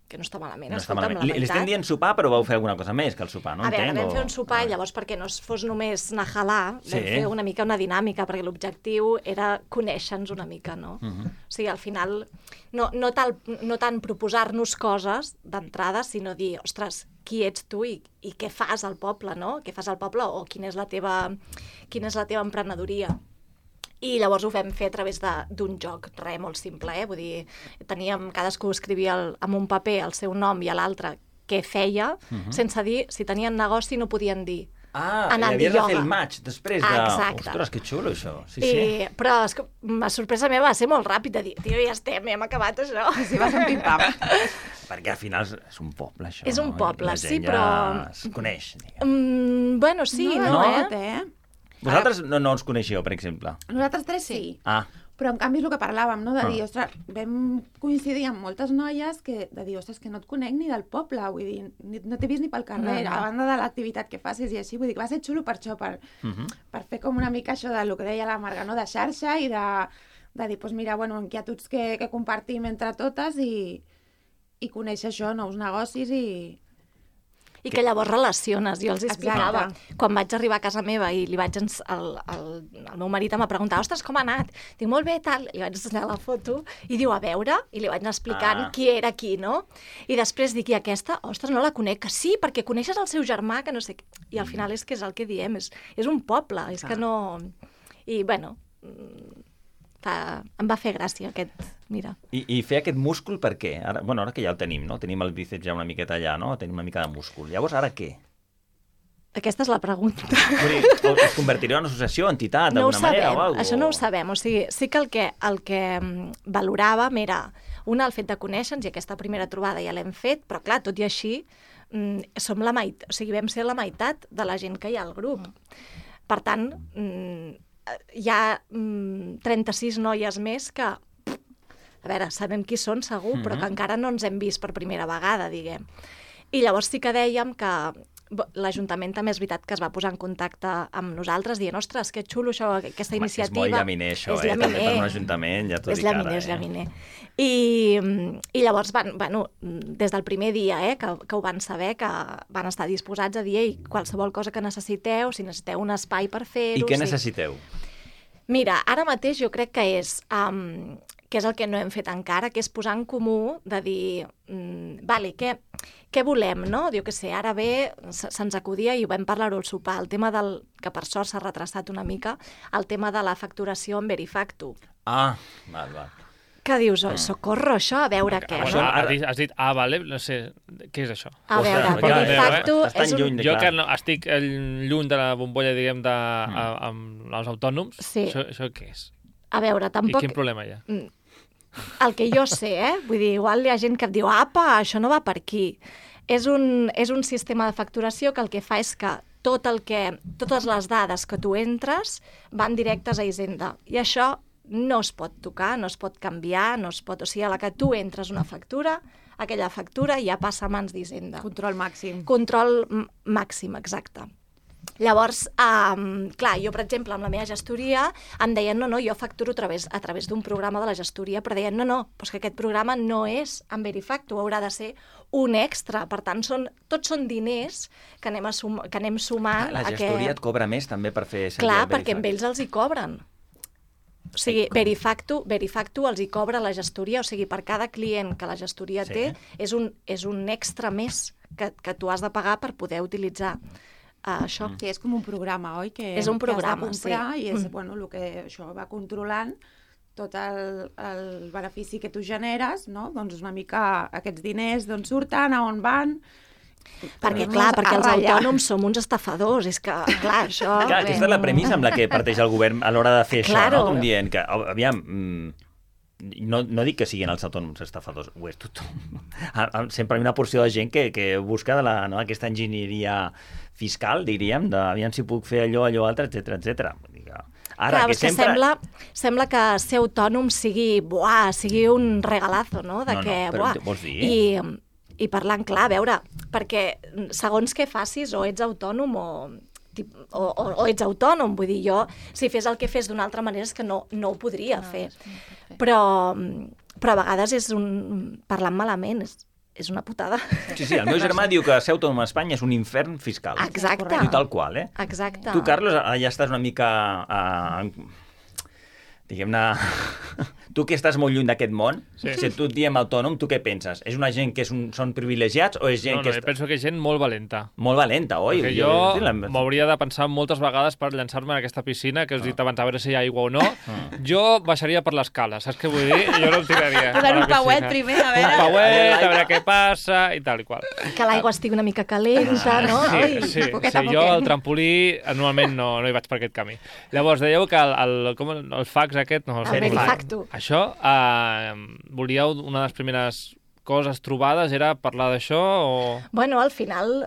Que no està malament. No està malament. Li estem dient sopar, però vau fer alguna cosa més que el sopar, no? A veure, vam fer un sopar, llavors, perquè no fos només anar a jalar, vam fer una mica una dinàmica, perquè l'objectiu era conèixer-nos una mica, no? O sigui, al final, no tant proposar-nos coses d'entrada, sinó dir, ostres, qui ets tu i què fas al poble, no? Què fas al poble o quina és la teva emprenedoria. I llavors ho vam fer a través d'un joc, molt simple, Vull dir, cadascú escrivia en un paper el seu nom i a l'altre què feia, sense dir, si tenien negoci no podien dir. I havies de fer el match després de... Exacte. Ostres, que xulo, això. Però la sorpresa meva va ser molt ràpid de dir, tio, ja hem acabat això. Sí, va ser un pim-pam. Perquè al final és un poble, això. És un poble, sí, però... La gent ja es coneix, diguem. Bueno, sí, no? Vosaltres no us coneixeu, per exemple? Nosaltres tres sí. Però en canvi és el que parlàvem, no? De dir, ostres, vam coincidir amb moltes noies de dir, ostres, que no et conec ni del poble, vull dir, no t'he vist ni pel carrer, a banda de l'activitat que facis i així, vull dir, que va ser xulo per això, per fer com una mica això del que deia la Marga, no? De xarxa i de dir, doncs mira, bueno, inquietuds que compartim entre totes i conèixer això, nous negocis I que llavors relaciones. Jo els explicava. Quan vaig arribar a casa meva i li vaig el meu marit em va preguntar, ostres, com ha anat? Dic, molt bé, tal. Li vaig ensenyar la foto i diu, a veure, i li vaig anar explicant qui era qui, no? I després dic, i aquesta, ostres, no la conec, que sí, perquè coneixes el seu germà, que no sé què. I al final és que és el que diem, és un poble, és que no... I, bueno, em va fer gràcia aquest... Mira. I fer aquest múscul per què? Ara que ja el tenim, no? Tenim el bíceps ja una miqueta allà, no? Tenim una mica de múscul. Llavors, ara què? Aquesta és la pregunta. Es convertirà en una associació, entitat, d'alguna manera o alguna cosa? Això no ho sabem. O sigui, sí que el que valoràvem era, el fet de conèixer-nos, i aquesta primera trobada ja l'hem fet, però clar, tot i així, som la meitat, o sigui, vam ser la meitat de la gent que hi ha al grup. Per tant, hi ha 36 noies més que, a veure, sabem qui són segur, però que encara no ens hem vist per primera vegada, diguem. I llavors sí que dèiem que l'Ajuntament també és veritat que es va posar en contacte amb nosaltres dient, ostres, que xulo això, aquesta iniciativa. És molt llaminer això, també per un ajuntament, ja t'ho dic ara. És llaminer. I llavors, des del primer dia que ho van saber, que van estar disposats a dir, ei, qualsevol cosa que necessiteu, si necessiteu un espai per fer-ho... I què necessiteu? Mira, ara mateix jo crec que és el que no hem fet encara, que és posar en comú de dir, què volem, no? Jo què sé, ara bé, se'ns acudia, i ho vam parlar-ho al sopar, el tema que per sort s'ha retrasat una mica, el tema de la facturació en Verifactu. Val. Que dius, socorro, això, a veure què, no? Has dit, vale, no sé, què és això? A veure, Verifactu és un... Jo que estic lluny de la bombolla, diguem, amb els autònoms, això què és? A veure, tampoc... I quin problema hi ha? El que jo sé, vull dir, igual hi ha gent que et diu, apa, això no va per aquí. És un sistema de facturació que el que fa és que totes les dades que tu entres van directes a Hisenda. I això no es pot tocar, no es pot canviar, no es pot... O sigui, a la que tu entres una factura, aquella factura ja passa a mans d'Hisenda. Control màxim. Control màxim, exacte. Llavors, clar, jo, per exemple, amb la meva gestoria em deien, no, jo facturo a través d'un programa de la gestoria, però deien, no, doncs que aquest programa no és en Verifactu, haurà de ser un extra. Per tant, tots són diners que anem sumant... La gestoria et cobra més també per fer servir Clar, el Verifactu. perquè amb ells els hi cobren. O sigui, Verifactu els hi cobra la gestoria, o sigui, per cada client que la gestoria té, és un extra més que tu has de pagar per poder utilitzar això. Sí, és com un programa, oi? És un programa, que has de comprar, i és el que això va controlant tot el benefici que tu generes, no? Doncs una mica aquests diners d'on surten, a on van... Perquè els autònoms som uns estafadors, és que, clar, això... Clar, aquesta és la premissa amb la que parteix el govern a l'hora de fer això, no? Com dient que, aviam, no dic que siguin els autònoms estafadors, ho és tothom. Sempre hi ha una porció de gent que busca aquesta enginyeria fiscal, diríem, aviam si puc fer allò, altre, etc. Ara, que sempre... sembla que ser autònom sigui un regalazo, no? Però vols dir? I parlant clar, a veure, perquè segons què facis, o ets autònom o ets autònom, vull dir, jo, si fes el que fes d'una altra manera és que no ho podria fer. Però a vegades parlant malament, és una putada. Sí, el meu germà diu que ser autònom a Espanya és un infern fiscal. Exacte. I tal qual, Exacte. Tu, Carlos, ja estàs una mica... diguem-ne... Tu que estàs molt lluny d'aquest món, si tu et diem autònom, tu què penses? És una gent que són privilegiats o és gent que... No, penso que és gent molt valenta. Molt valenta, oi? Perquè jo m'hauria de pensar moltes vegades per llançar-me en aquesta piscina, que us he dit abans a veure si hi ha aigua o no. Jo baixaria per l'escala, saps què vull dir? Jo no em tiraria. Posar un pauet primer, a veure... Un pauet, a veure què passa, i tal i qual. Que l'aigua estigui una mica calenta, no? Sí, jo al trampolí normalment no hi vaig per aquest camí. Llavors, dèieu que el fax aquest... El Verifacto. Això, volíeu una de les primeres coses trobades, era parlar d'això o...? Bueno, al final,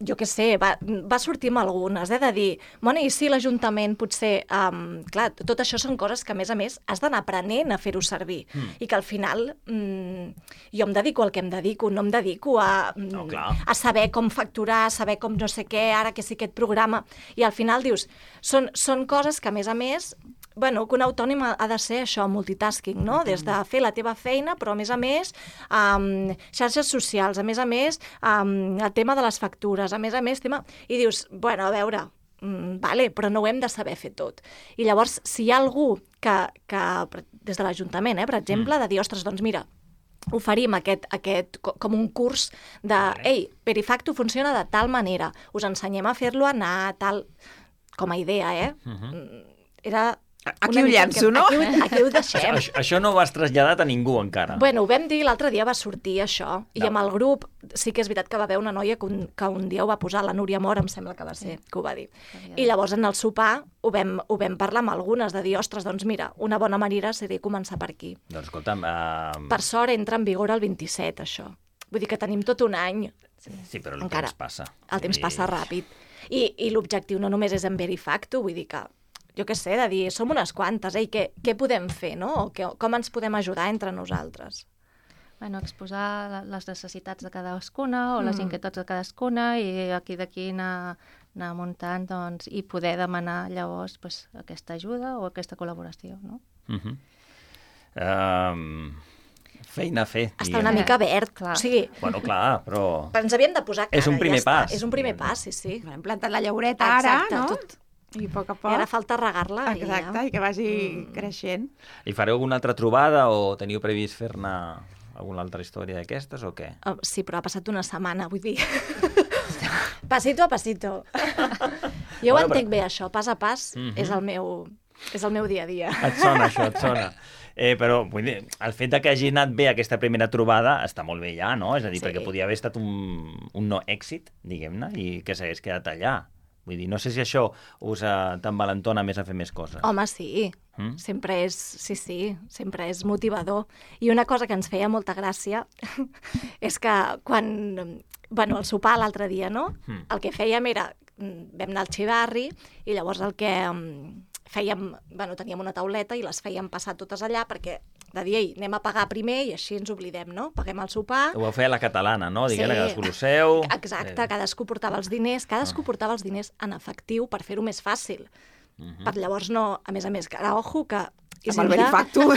jo què sé, va sortir amb algunes, de dir, bueno, i si l'Ajuntament potser... clar, tot això són coses que, a més, has d'anar aprenent a fer-ho servir. I que al final jo em dedico al que em dedico, no em dedico a saber com facturar, a saber com no sé què, ara que sí aquest programa... I al final dius, són coses que, a més, bueno, que un autònom ha de ser això, multitasking, no? Des de fer la teva feina, però a més, xarxes socials, a més, el tema de les factures, a més, tema... I dius, bueno, a veure, vale, però no ho hem de saber fer tot. I llavors, si hi ha algú que des de l'Ajuntament, per exemple, de dir, ostres, doncs mira, oferim aquest com un curs de, ei, Verifacto funciona de tal manera, us ensenyem a fer-lo anar tal... Com a idea, era... Aquí ho llenço, no? Aquí ho deixem. Això no ho has traslladat a ningú encara. Bueno, ho vam dir, l'altre dia va sortir això, i amb el grup sí que és veritat que va haver una noia que un dia ho va posar, la Núria Mora, em sembla que va ser, que ho va dir. I llavors en el sopar ho vam parlar amb algunes, de dir, ostres, doncs mira, una bona manera seria començar per aquí. Doncs escolta'm... Per sort entra en vigor el 27, això. Vull dir que tenim tot un any. Sí, però el temps passa. El temps passa ràpid. I l'objectiu no només és en Verifacto, vull dir que jo què sé, de dir, som unes quantes, què podem fer, no? Com ens podem ajudar entre nosaltres? Bueno, exposar les necessitats de cadascuna o les inquietuds de cadascuna i d'aquí anar muntant doncs, i poder demanar llavors aquesta ajuda o aquesta col·laboració, no? Feina a fer. Està una mica verd, clar. O sigui... Bueno, clar, però... Ens havíem de posar cara, és un primer pas. És un primer pas, sí. Hem plantat la llaureta ara, no? Tot. I a poc a poc. I ara falta regar-la. Exacte, i que vagi creixent. I fareu alguna altra trobada o teniu previst fer-ne alguna altra història d'aquestes o què? Sí, però ha passat una setmana, vull dir. Pasito a pasito. Jo ho entenc bé, això. Pas a pas és el meu dia a dia. Et sona, això, et sona. Però vull dir, el fet que hagi anat bé aquesta primera trobada està molt bé ja, no? És a dir, perquè podia haver estat un no èxit, diguem-ne, i que s'hagués quedat allà. Vull dir, no sé si això us t'envalentona més a fer més coses. Home, sí. Sempre és, sempre és motivador. I una cosa que ens feia molta gràcia és que quan, bueno, el sopar l'altre dia, no? El que fèiem era, vam anar al xivarri i llavors el que fèiem, bueno, teníem una tauleta i les fèiem passar totes allà perquè de dir, ei, anem a pagar primer i així ens oblidem, no? Paguem el sopar... Ho vau fer a la catalana, no? Diguem-ne, cadascú lo seu... Exacte, cadascú portava els diners, portava els diners en efectiu per fer-ho més fàcil. Per llavors no, a més, que ara, ojo, que... Amb el Verifacto.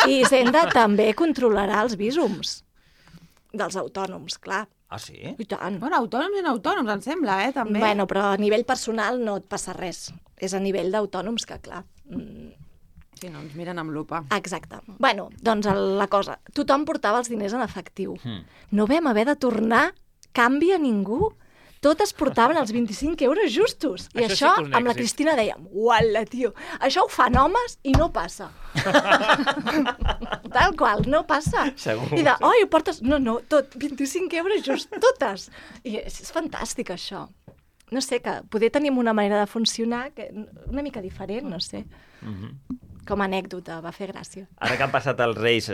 I Hisenda també controlarà els vísums dels autònoms, clar. Ah, sí? I tant. Bueno, autònoms i no autònoms, em sembla, també. Bueno, però a nivell personal no et passa res. És a nivell d'autònoms que, clar... Sí, no, ens miren amb lupa. Exacte. Bueno, doncs la cosa, tothom portava els diners en efectiu. No vam haver de tornar canvi a ningú. Totes portaven els 25 euros justos. I això sí amb la Cristina dèiem, uala, tio, això ho fan homes i no passa. Tal qual, no passa. Segur. I de, oi, ho portes... No, tot, 25 euros just, totes. I és fantàstic, això. No sé, que poder tenim una manera de funcionar que una mica diferent, no sé. com a anècdota, va fer gràcia. Ara que han passat els Reis,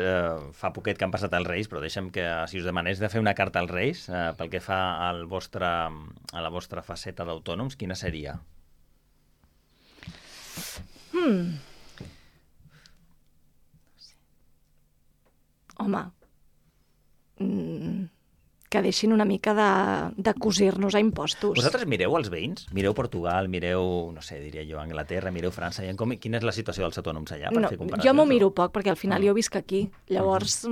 fa poquet que han passat els Reis, però deixa'm que, si us demanés de fer una carta als Reis, pel que fa a la vostra faceta d'autònoms, quina seria? Home, que deixin una mica de cosir-nos a impostos. Vosaltres mireu els veïns? Mireu Portugal, mireu, no sé, diria jo, Anglaterra, mireu França, quina és la situació dels autònoms allà, per fer comparacions? Jo m'ho miro poc, perquè al final jo visc aquí, llavors,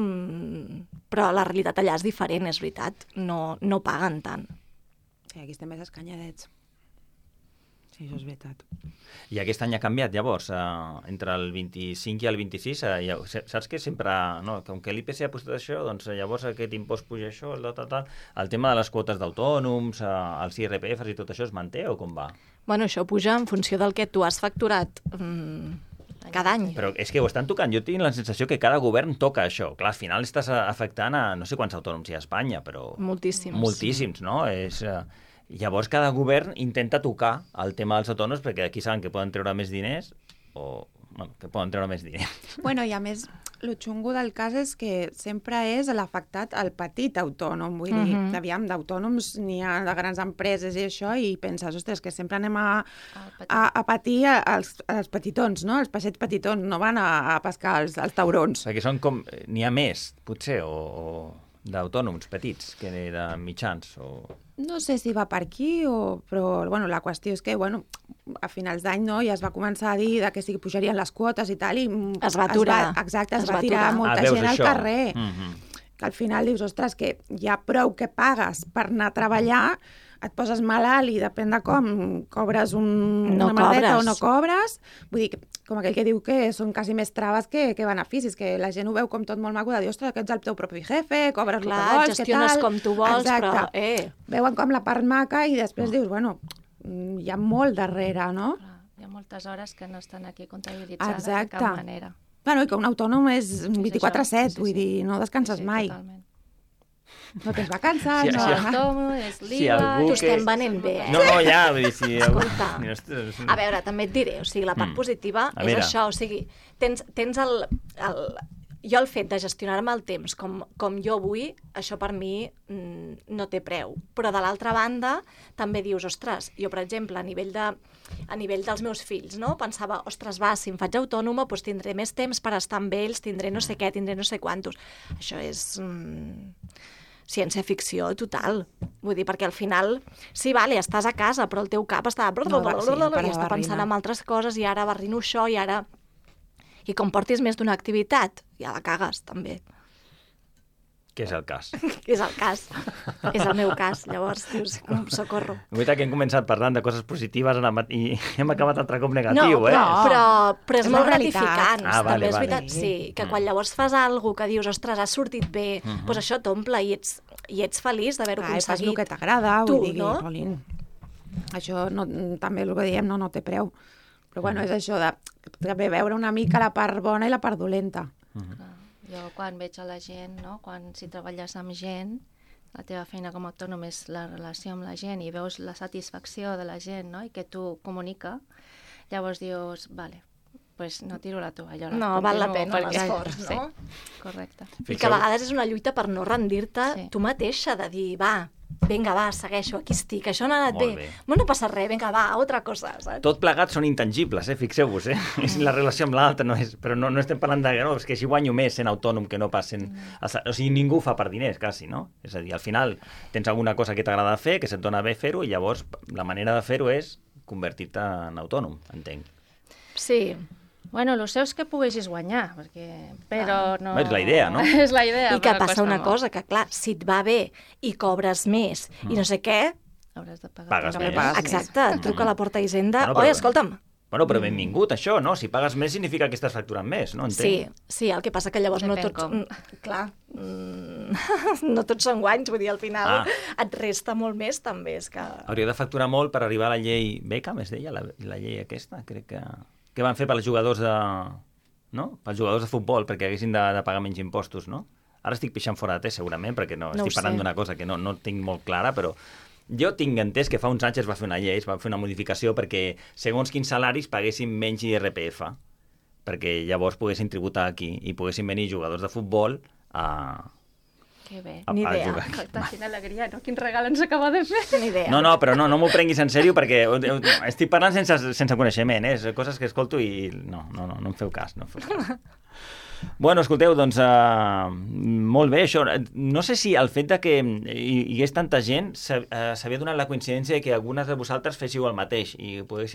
però la realitat allà és diferent, és veritat, no paguen tant. Sí, aquí estem més escanyadets. Sí, això és veritat. I aquest any ha canviat, llavors, entre el 25 i el 26, saps que sempre, no, com que l'IPC ha posat això, doncs llavors aquest impost puja això, el tema de les quotes d'autònoms, els IRPFs i tot això es manté o com va? Bueno, això puja en funció del que tu has facturat cada any. Però és que ho estan tocant. Jo tinc la sensació que cada govern toca això. Clar, al final estàs afectant a no sé quants autònoms hi ha a Espanya, però... Moltíssims, no? Llavors cada govern intenta tocar el tema dels autònoms perquè aquí saben que poden treure més diners o que poden treure més diners. Bueno, i a més, el xungo del cas és que sempre és l'afectat el petit autònom. Vull dir, aviam, d'autònoms n'hi ha de grans empreses i això, i penses, ostres, que sempre anem a patir els petitons, no? Els peixets petitons, no van a pescar els taurons. Perquè són com... N'hi ha més, potser, o d'autònoms petits que de mitjans, o... No sé si va per aquí, però bueno, la qüestió és que a finals d'any ja es va començar a dir que sí que pujarien les quotes i tal, i es va aturar. Exacte, es va tirar molta gent al carrer. Que al final dius, ostres, que hi ha prou que pagues per anar a treballar, et poses malalt i depèn de com cobres una merdeta o no cobres. Vull dir, com aquell que diu que són quasi més traves que beneficis, que la gent ho veu com tot molt maco de dir, ostres, que ets el teu propi jefe, cobres el que vols, gestiones com tu vols, però... Veuen com la part maca i després dius, bueno, hi ha molt darrere, no? Hi ha moltes hores que no estan aquí comptabilitzades de cap manera. Bueno, i que un autònom és 24/7, vull dir, no descanses mai. Totalment. No tens vacances, no... L'autònom, és l'IVA... T'ho estem venent bé, No, ja, vull dir, si... Escolta, a veure, també et diré, o sigui, la part positiva és això, o sigui, tens jo el fet de gestionar-me el temps com jo vull, això per mi no té preu. Però de l'altra banda, també dius, ostres, jo, per exemple, a nivell dels meus fills, no? Pensava, ostres, si em faig autònoma, doncs tindré més temps per estar amb ells, tindré no sé què, tindré no sé quantos. Això és... ciència-ficció total. Vull dir, perquè al final, sí, vale, estàs a casa, però el teu cap està... i està pensant en altres coses, i ara barrino això, i ara... I com portis més d'una activitat, ja la cagues, també. Què és el cas? Què és el cas? És el meu cas, llavors, dius, socorro. És veritat que hem començat parlant de coses positives i hem acabat altre cop negatiu, però és molt gratificant. També és veritat, sí, que quan llavors fas alguna que dius, ostres, has sortit bé, doncs això t'omple i ets feliç d'haver-ho aconseguit. Fas el que t'agrada, vull dir, Polín. Això també el que diem no té preu. Però bueno, és això de també veure una mica la part bona i la part dolenta. Jo quan veig a la gent, no? Si treballes amb gent, la teva feina com a autònom és la relació amb la gent i veus la satisfacció de la gent, no? I que tu comunica, llavors dius, vale, pues no tiro la tovallola. No, val la pena l'esforç, no? Sí, correcte. I que a vegades és una lluita per no rendir-te tu mateixa, de dir, vinga, segueixo, aquí estic, això no ha anat bé. No passa res, vinga, altra cosa, saps? Tot plegat són intangibles, fixeu-vos, És la relació amb l'altre, però no estem parlant de... No, és que si guanyo més sent autònom que no pas sent... O sigui, ningú fa per diners, quasi, no? És a dir, al final tens alguna cosa que t'agrada fer, que se't dona bé fer-ho, i llavors la manera de fer-ho és convertir-te en autònom, entenc. Sí. Bueno, el seu és que poguessis guanyar, però no... És la idea, no? És la idea. I que passa una cosa, que clar, si et va bé i cobres més i no sé què... Hauràs de pagar. Pagues més. Exacte, et truca a la Porta Hisenda. Oi, escolta'm. Bueno, però benvingut, això, no? Si pagues més significa que estàs facturant més, no? Entenc. Sí, el que passa que llavors no tots... Clar, no tots són guanys, vull dir, al final et resta molt més, també. Hauria de facturar molt per arribar a la llei Beckham, es deia, la llei aquesta, crec que... Què van fer pels jugadors de futbol perquè haguessin de pagar menys impostos, no? Ara estic pixant fora de té, segurament, perquè estic parlant d'una cosa que no tinc molt clara, però jo tinc entès que fa uns anys es va fer una llei, es va fer una modificació perquè segons quins salaris paguessin menys IRPF, perquè llavors poguessin tributar aquí i poguessin venir jugadors de futbol a... Que bé. Ni idea. Quina alegria, no? Quin regal ens acaba de fer. Ni idea. No, però no m'ho prenguis en sèrio perquè estic parlant sense coneixement, és coses que escolto i no em feu cas, no em feu cas. Bueno, escolteu, doncs molt bé això. No sé si el fet de que hi hagués tanta gent s'havia donat la coincidència de que algunes de vosaltres féssiu el mateix i pogués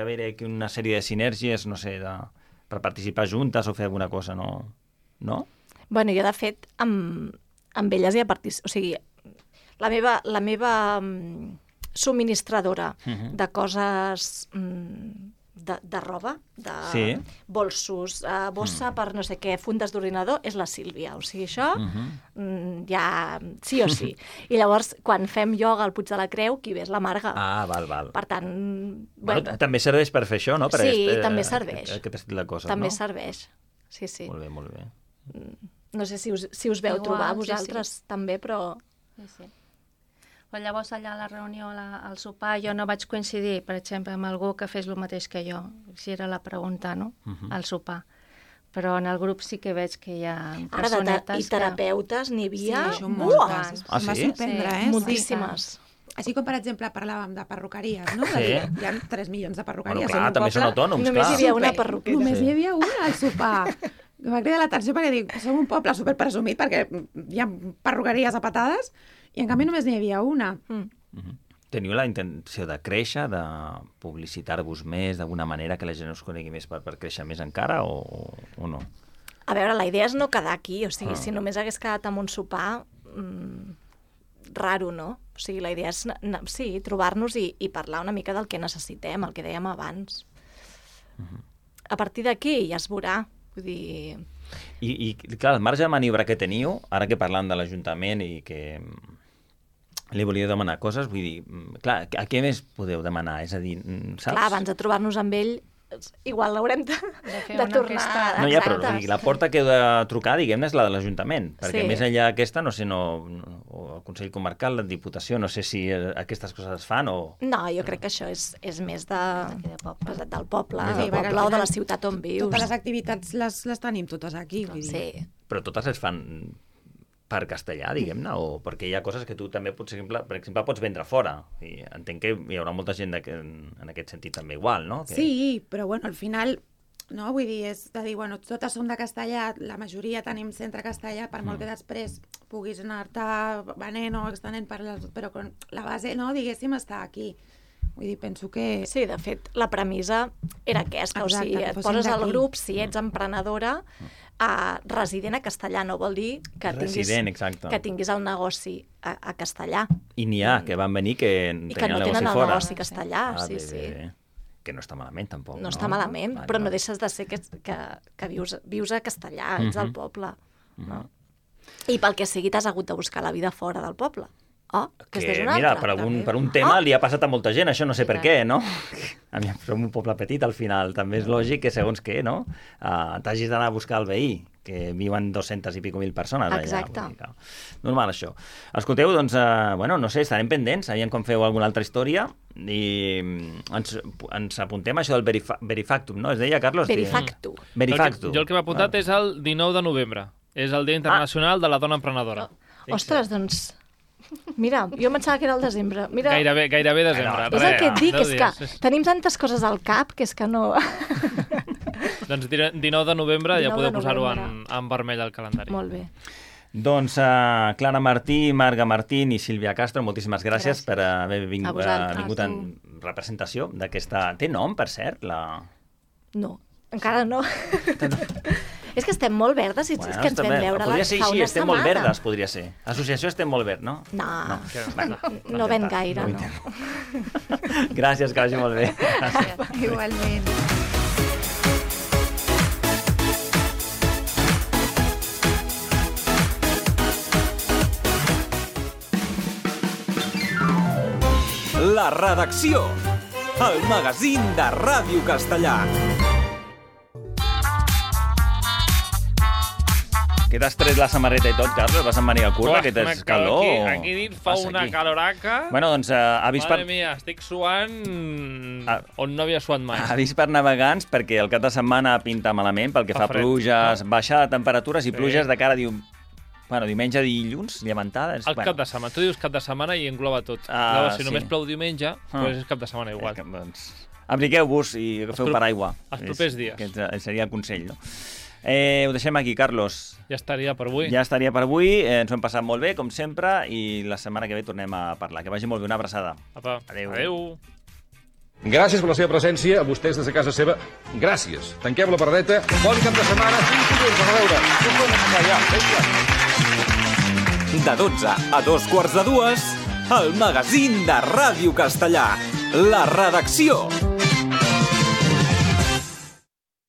haver aquí una sèrie de sinergies, no sé, per participar juntes o fer alguna cosa, no? No? Bueno, jo, de fet, amb elles hi ha participat... O sigui, la meva subministradora de coses de roba, de bolsos, bossa per no sé què, fundes d'ordinador, és la Sílvia. O sigui, això ja sí o sí. I llavors, quan fem ioga al Puig de la Creu, qui ve és la Marga. Ah, val. Per tant... Bueno, també serveix per fer això, no? Sí, també serveix. Aquest estil de coses, també no? serveix, sí. Molt bé. No sé si us veu trobar vosaltres també, però... Sí. Però llavors allà a la reunió, al sopar, jo no vaig coincidir, per exemple, amb algú que fes el mateix que jo. Si era la pregunta, no?, al sopar. Però en el grup sí que veig que hi ha personetes... I terapeutes n'hi havia... Sí, moltes. Ah, sí? Em va sorprendre, Moltíssimes. Així com, per exemple, parlàvem de perruqueries, no? Sí. Hi ha 3 milions de perruqueries. Bueno, clar, també són autònoms, clar. Només hi havia una perruqueria. Només hi havia una al sopar. Em va cridar l'atenció perquè dic, som un poble superpresumit perquè hi ha perruqueries a patades i en canvi només n'hi havia una. Teniu la intenció de créixer, de publicitar-vos més d'alguna manera, que la gent us conegui més per créixer més encara o no? A veure, la idea és no quedar aquí, o sigui, si només hagués quedat amb un sopar, raro, no? O sigui, la idea és, sí, trobar-nos i parlar una mica del que necessitem, el que dèiem abans. A partir d'aquí ja es veurà. Vull dir... I clar, el marge de maniobra que teniu, ara que parlant de l'Ajuntament i que li volia demanar coses, vull dir, clar, a què més podeu demanar? És a dir, saps? Clar, abans de trobar-nos amb ell, igual l'haurem de tornar. No, ja, però la porta que heu de trucar, diguem-ne, és la de l'Ajuntament, perquè més enllà d'aquesta, no sé, o el Consell Comarcal, la Diputació, no sé si aquestes coses es fan o... No, jo crec que això és més del poble o de la ciutat on vius. Totes les activitats les tenim totes aquí. Sí. Però totes es fan per castellà, diguem-ne, o perquè hi ha coses que tu també, per exemple, pots vendre fora. I entenc que hi haurà molta gent en aquest sentit també igual, no? Sí, però bueno, al final, no? Vull dir, és de dir, bueno, totes som de castellà, la majoria tenim centre castellà, per molt que després puguis anar-te venent o extenent però la base, no, diguéssim, està aquí. Vull dir, penso que... Sí, de fet, la premissa era aquesta, o sigui, et poses al grup, si ets emprenedora, resident a castellà, no vol dir que tinguis el negoci a castellà. I n'hi ha que van venir que tenien el negoci fora. I que no tenen el negoci castellà, sí. Que no està malament, tampoc. No està malament, però no deixes de ser que vius a castellà, ets al poble. I pel que sigui t'has hagut de buscar la vida fora del poble. Mira, per un tema li ha passat a molta gent, això no sé per què, no? A mi som un poble petit, al final. També és lògic que, segons què, no? T'hagis d'anar a buscar el veí, que viuen 200 i pico mil persones allà. Exacte. Normal, això. Escolteu, doncs, no sé, estarem pendents, aviam com feu alguna altra història, i ens apuntem a això del Verifactum, no? Es deia, Carlos? Verifactum. Jo el que m'he apuntat és el 19 de novembre. És el Dia Internacional de la Dona Emprenedora. Ostres, doncs... Mira, jo em pensava que era el desembre. Mira, gairebé desembre. És el que et dic, és que tenim tantes coses al cap que és que no... Doncs 19 de novembre ja podeu posar-ho en vermell al calendari. Molt bé. Doncs Clara Martí, Marga Martín i Sílvia Castro, moltíssimes gràcies per haver vingut en representació d'aquesta... Té nom, per cert? No, encara no. És que estem molt verdes i és que ens vam veure fa una setmana. Sí, estem molt verdes, podria ser. Associació Estem molt verd, no? No ven gaire, no. Gràcies, que vagi molt bé. Igualment. La redacció, el magazín de Ràdio Castellà. Que t'has tret la samarreta i tot, Carlos? Vas amb màniga curta, que tens calor? Aquí dins fa una caloraca. Bueno, doncs ha vist Mare mia, estic suant on no havia suat mai. Ha vist per navegants perquè el cap de setmana pinta malament pel que fa pluges, baixada de temperatures i pluges de cara diumenge, dilluns, llevantada. El cap de setmana. Tu dius cap de setmana i engloba tot. Si només plou diumenge, doncs és cap de setmana igual. Abrigueu-vos i agafeu paraigua. Els propers dies. Que seria el consell, no? Ho deixem aquí, Carlos. Ja estaria per avui. Ja estaria per avui. Ens ho hem passat molt bé, com sempre, i la setmana que ve tornem a parlar. Que vagi molt bé. Una abraçada. Apa. Adéu. Gràcies per la seva presència, a vostès des de casa seva. Gràcies. Tanquem la pardeta. Bon cap de setmana. Fins dilluns. A veure. De 12 a 2:15, el magazín de Ràdio Castellà. La redacció.